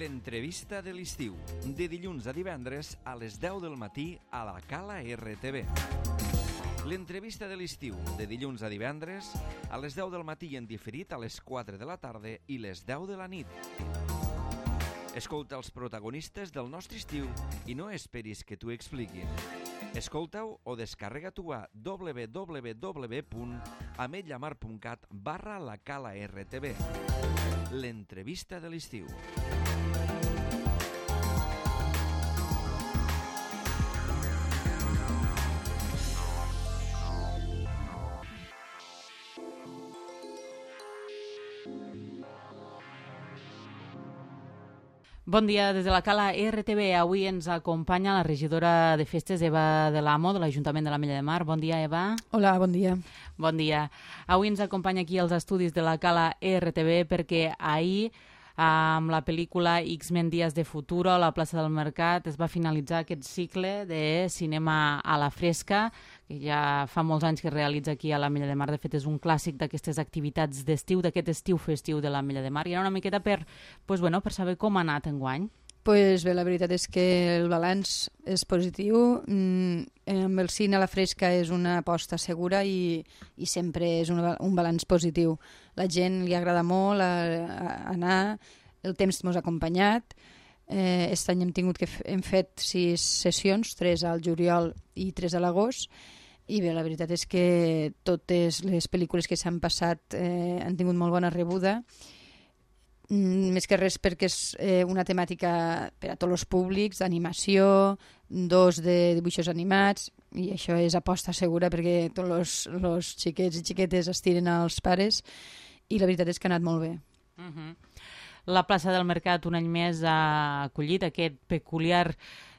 L'entrevista de l'estiu, de dilluns a divendres a les 10 del matí a la Cala RTV. L'entrevista de l'estiu, de dilluns a divendres a les 10 del matí i en diferit a les 4 de la tarda i les 10 de la nit. Escolta els protagonistes del nostre estiu i no esperis que t'ho expliquin. Escolta-ho o descarrega-t'ho a www.ametlllamar.cat/la Cala RTV. L'entrevista de l'estiu. Bon dia des de la Cala RTV. Avui ens acompanya la regidora de festes, Eva de l'Amo, de l'Ajuntament de l'Ametlla de Mar. Bon dia, Eva. Hola, bon dia. Bon dia. Avui ens acompanya aquí als estudis de la Cala RTV perquè ahir, amb la pel·lícula X-Men Días de Futuro a la plaça del Mercat, es va finalitzar aquest cicle de cinema a la fresca, que ja fa molts anys que es realitza aquí a l'Ametlla de Mar. De fet, és un clàssic d'aquestes activitats d'estiu, d'aquest estiu festiu de l'Ametlla de Mar. I era una miqueta per saber com ha anat enguany. Pues bé, la veritat és que el balanç és positiu. Amb el cine a la fresca és una aposta segura i sempre és un balanç positiu. La gent li agrada molt anar, el temps ens ha acompanyat. Aquest any hem fet 6 sessions, 3 al juliol i 3 a l'agost, i bé, la veritat és que totes les pel·lícules que s'han passat han tingut molt bona rebuda, més que res perquè és una temàtica per a tots els públics, d'animació, 2 de dibuixos animats, i això és aposta segura perquè tots els xiquets i xiquetes es tiren als pares, i la veritat és que ha anat molt bé. La plaça del Mercat un any més ha acollit aquest peculiar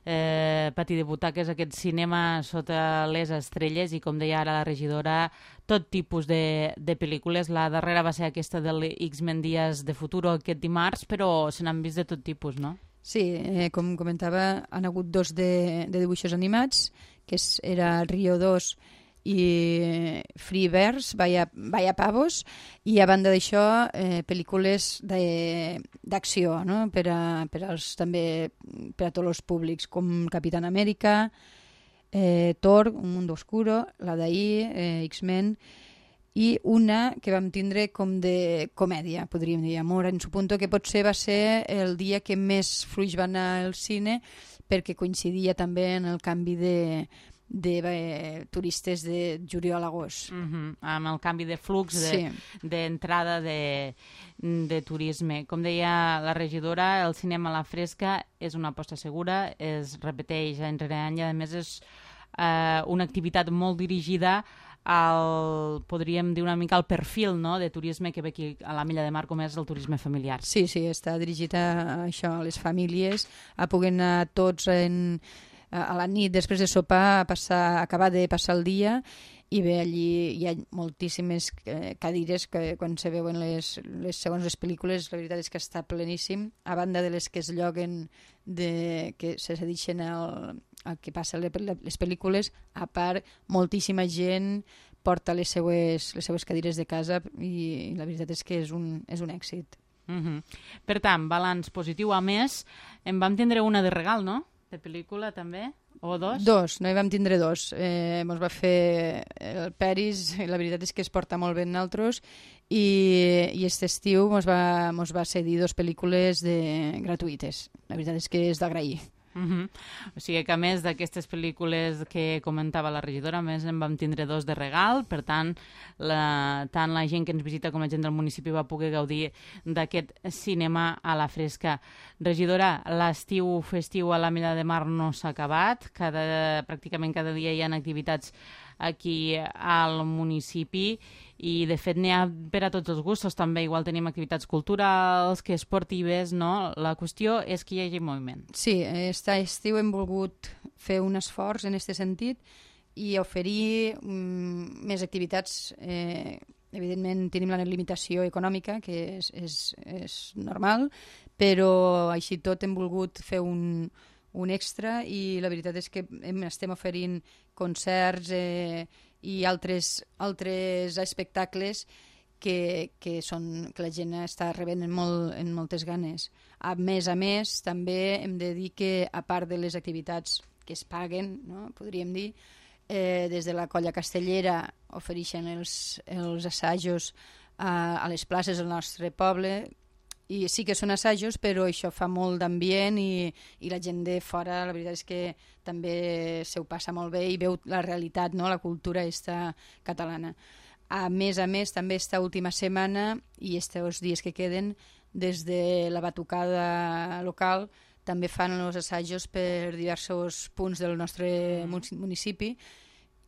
pati de butaques, aquest cinema sota les estrelles, i com deia ara la regidora, tot tipus de pel·lícules. La darrera va ser aquesta del X-Men Días de Futuro aquest dimarts, però se n'han vist de tot tipus, no? Sí, com comentava, han hagut 2 de dibuixos animats, que era Rio 2 i Freeverse, Vaya Pavos, i a banda d'això pel·lícules d'acció, no? També per a tots els públics, com Capitán América, Thor, Un Mundo Oscuro, la d'ahir, X-Men, i una que vam tindre com de comèdia, podríem dir, Amor en su punto, que potser va ser el dia que més fluix va anar al cine, perquè coincidia també en el canvi de turistes de juliol a agost. Amb el canvi de flux d'entrada de turisme. Com deia la regidora, el cinema a la fresca és una aposta segura, es repeteix any rere any, i a més és una activitat molt dirigida podríem dir una mica al perfil, no?, de turisme que ve aquí a l'Ametlla de Mar, com és el turisme familiar. Sí, està dirigit a això, a les famílies, a poder anar tots a la nit, després de sopar, acabar de passar el dia, i bé, allí hi ha moltíssimes cadires que quan se veuen segons les pel·lícules, la veritat és que està pleníssim, a banda de les que es lloguen, que se cedeixen al que passa les pel·lícules. A part, moltíssima gent porta les seues cadires de casa, i la veritat és que és un èxit. Per tant, balanç positiu. A més, en vam tindre una de regal, no?, de pel·lícula també, o 2? 2, no hi vam tindre 2. Ens va fer el Peris, i la veritat és que es porta molt bé en nosaltres, i aquest estiu ens va cedir 2 pel·lícules gratuïtes. La veritat és que és d'agrair. O sigui que a més d'aquestes pel·lícules que comentava la regidora, a més en vam tindre 2 de regal, per tant tant la gent que ens visita com la gent del municipi va poder gaudir d'aquest cinema a la fresca. Regidora, l'estiu festiu a l'Ametlla de Mar no s'ha acabat, pràcticament cada dia hi ha activitats aquí al municipi, i de fet n'hi ha per a tots els gustos també. Igual tenim activitats culturals que esportives, no? La qüestió és que hi hagi moviment. Sí, aquest estiu hem volgut fer un esforç en aquest sentit i oferir més activitats. Evidentment tenim la limitació econòmica, que és normal, però així tot hem volgut fer un extra, i la veritat és que estem oferint concerts i altres espectacles que la gent està rebent en moltes ganes. A més, també hem de dir que, a part de les activitats que es paguen, no? Podríem dir, des de la Colla Castellera ofereixen els assajos a les places del nostre poble, i sí que són assajos, però això fa molt d'ambient i la gent de fora, la veritat és que també se ho passa molt bé i veu la realitat, no? La cultura catalana. A més, també esta última setmana i estos dies que queden, des de la batucada local, també fan els assajos per diversos punts del nostre municipi,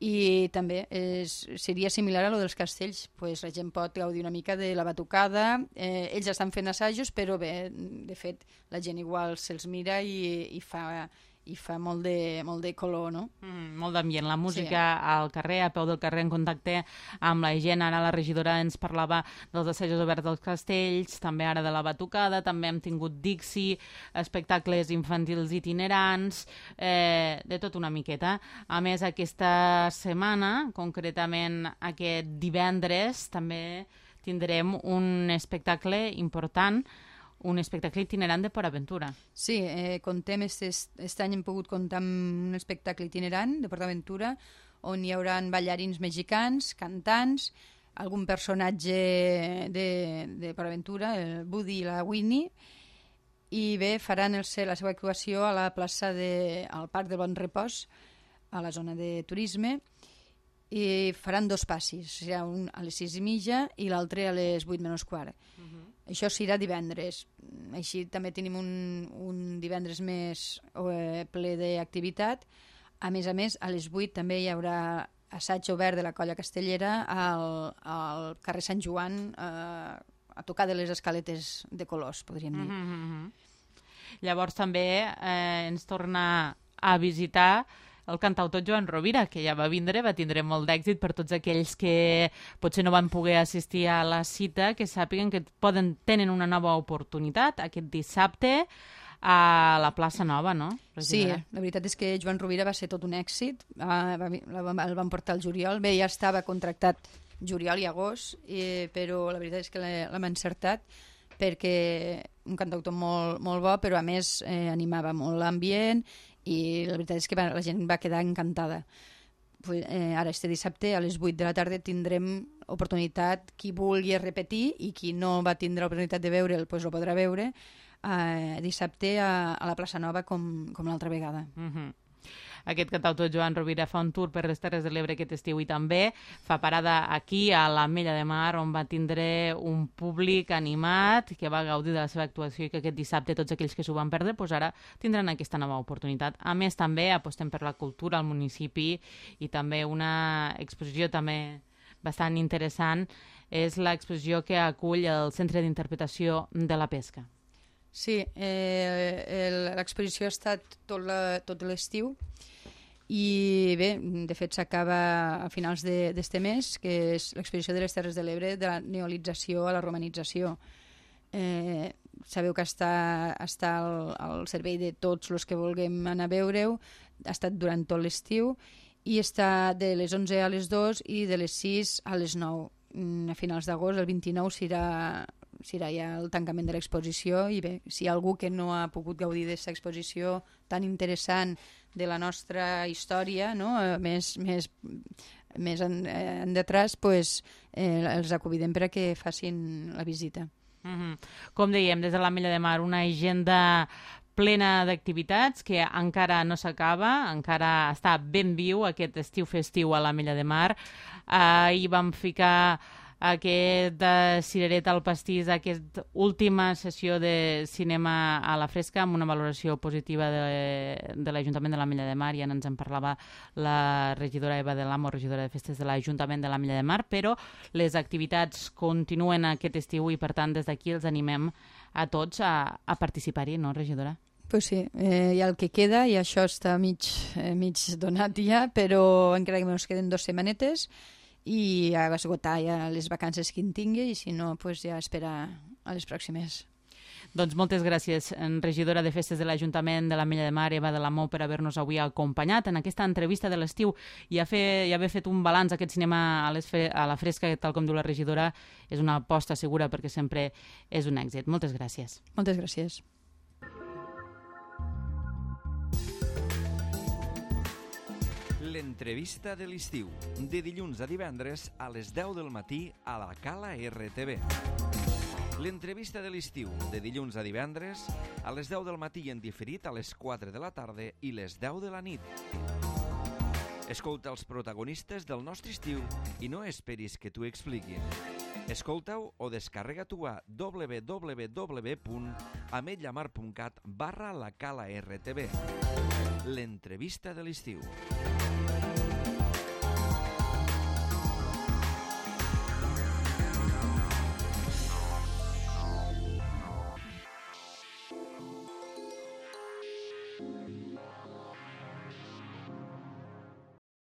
i també seria similar a lo dels castells, pues la gent pot gaudir una mica de la batucada, ells estan fent assajos, però bé, de fet la gent igual se'ls mira i fa molt de color, no? Molt d'ambient, la música al carrer, a peu del carrer, en contacte amb la gent. Ara la regidora ens parlava dels assajos oberts dels castells, també ara de la batucada, també hem tingut Dixi, espectacles infantils itinerants, de tot una miqueta. A més, aquesta setmana, concretament aquest divendres, també tindrem un espectacle important, un espectacle itinerant de PortAventura. Sí, contem, aquest any hem pogut comptar amb un espectacle itinerant de PortAventura, on hi haurà ballarins mexicans, cantants, algun personatge de PortAventura, el Buddy i la Winnie, i bé, faran la seva actuació a la plaça al Parc del Bon Repòs, a la zona de turisme, i faran 2 passis, serà un a les 6:30 i l'altre a les 8:15. Això serà divendres. Així també tenim un divendres més ple d'activitat. A més, a les 8 també hi haurà assaig obert de la Colla Castellera al carrer Sant Joan, a tocar de les escaletes de colors, podríem dir. Llavors també ens torna a visitar el cantautor Joan Rovira, que ja va vindre, va tindre molt d'èxit. Per tots aquells que potser no van poder assistir a la cita, que sàpiguen que tenen una nova oportunitat aquest dissabte a la plaça Nova, no? Sí, la veritat és que Joan Rovira va ser tot un èxit. El van portar al juliol. Bé, ja estava contractat juliol i agost, però la veritat és que l'hem encertat, perquè un cantautor molt bo, però a més animava molt l'ambient, i la veritat és que la gent va quedar encantada. Ara, este dissabte, a les 8 de la tarda, tindrem oportunitat. Qui vulgui repetir i qui no va tindre l'oportunitat de veure'l, doncs el podrà veure dissabte a la plaça Nova com l'altra vegada. Aquest cantautor Joan Rovira fa un tour per les Terres de l'Ebre aquest estiu i també fa parada aquí a l'Ametlla de Mar, on va tindre un públic animat que va gaudir de la seva actuació, i que aquest dissabte tots aquells que s'ho van perdre ara tindran aquesta nova oportunitat. A més, també apostem per la cultura al municipi, i també una exposició també bastant interessant és l'exposició que acull el Centre d'Interpretació de la Pesca. Sí, l'exposició ha estat tot l'estiu, i bé, de fet s'acaba a finals d'este mes, que és l'exposició de les Terres de l'Ebre, de la neolització a la romanització. Sabeu que està al servei de tots els que vulguem anar a veure-ho. Ha estat durant tot l'estiu i està de les 11 a les 2 i de les 6 a les 9. A finals d'agost, el 29, serà ja el tancament de l'exposició. I bé, si hi ha algú que no ha pogut gaudir d'aquesta exposició tan interessant de la nostra història, no? més en detrás, pues, els convidem per a que facin la visita. Com dèiem, des de l'Ametlla de Mar, una agenda plena d'activitats que encara no s'acaba, encara està ben viu aquest estiu festiu a l'Ametlla de Mar. Ahir vam ficar aquest Cireret al pastís, aquesta última sessió de cinema a la fresca, amb una valoració positiva de l'Ajuntament de l'Ametlla de Mar. Ja ens en parlava la regidora Eva de l'Amo, regidora de festes de l'Ajuntament de l'Ametlla de Mar, però les activitats continuen aquest estiu i, per tant, des d'aquí els animem a tots a participar-hi, no, regidora? Pues sí, hi ha el que queda, i això està mig donat ja, però encara que ens queden 2 setmanetes, i a esgotar ja les vacances que en tingui, i si no, pues ja esperar a les pròximes. Doncs moltes gràcies, regidora de Festes de l'Ajuntament de l'Ametlla de Mar, Eva de la Mou, per haver-nos avui acompanyat en aquesta entrevista de l'estiu i haver fet un balanç aquest cinema a la fresca, tal com diu la regidora, és una aposta segura perquè sempre és un èxit. Moltes gràcies. Moltes gràcies. L'entrevista de l'estiu, de dilluns a divendres a les 10 del matí a la Cala RTV. L'entrevista de l'estiu, de dilluns a divendres a les 10 del matí i en diferit a les 4 de la tarda i les 10 de la nit. Escolta els protagonistes del nostre estiu i no esperis que t'ho expliquin. Escolta-ho o descarrega-t'ho a www.ametllamar.cat/la Cala RTV. L'entrevista de l'estiu.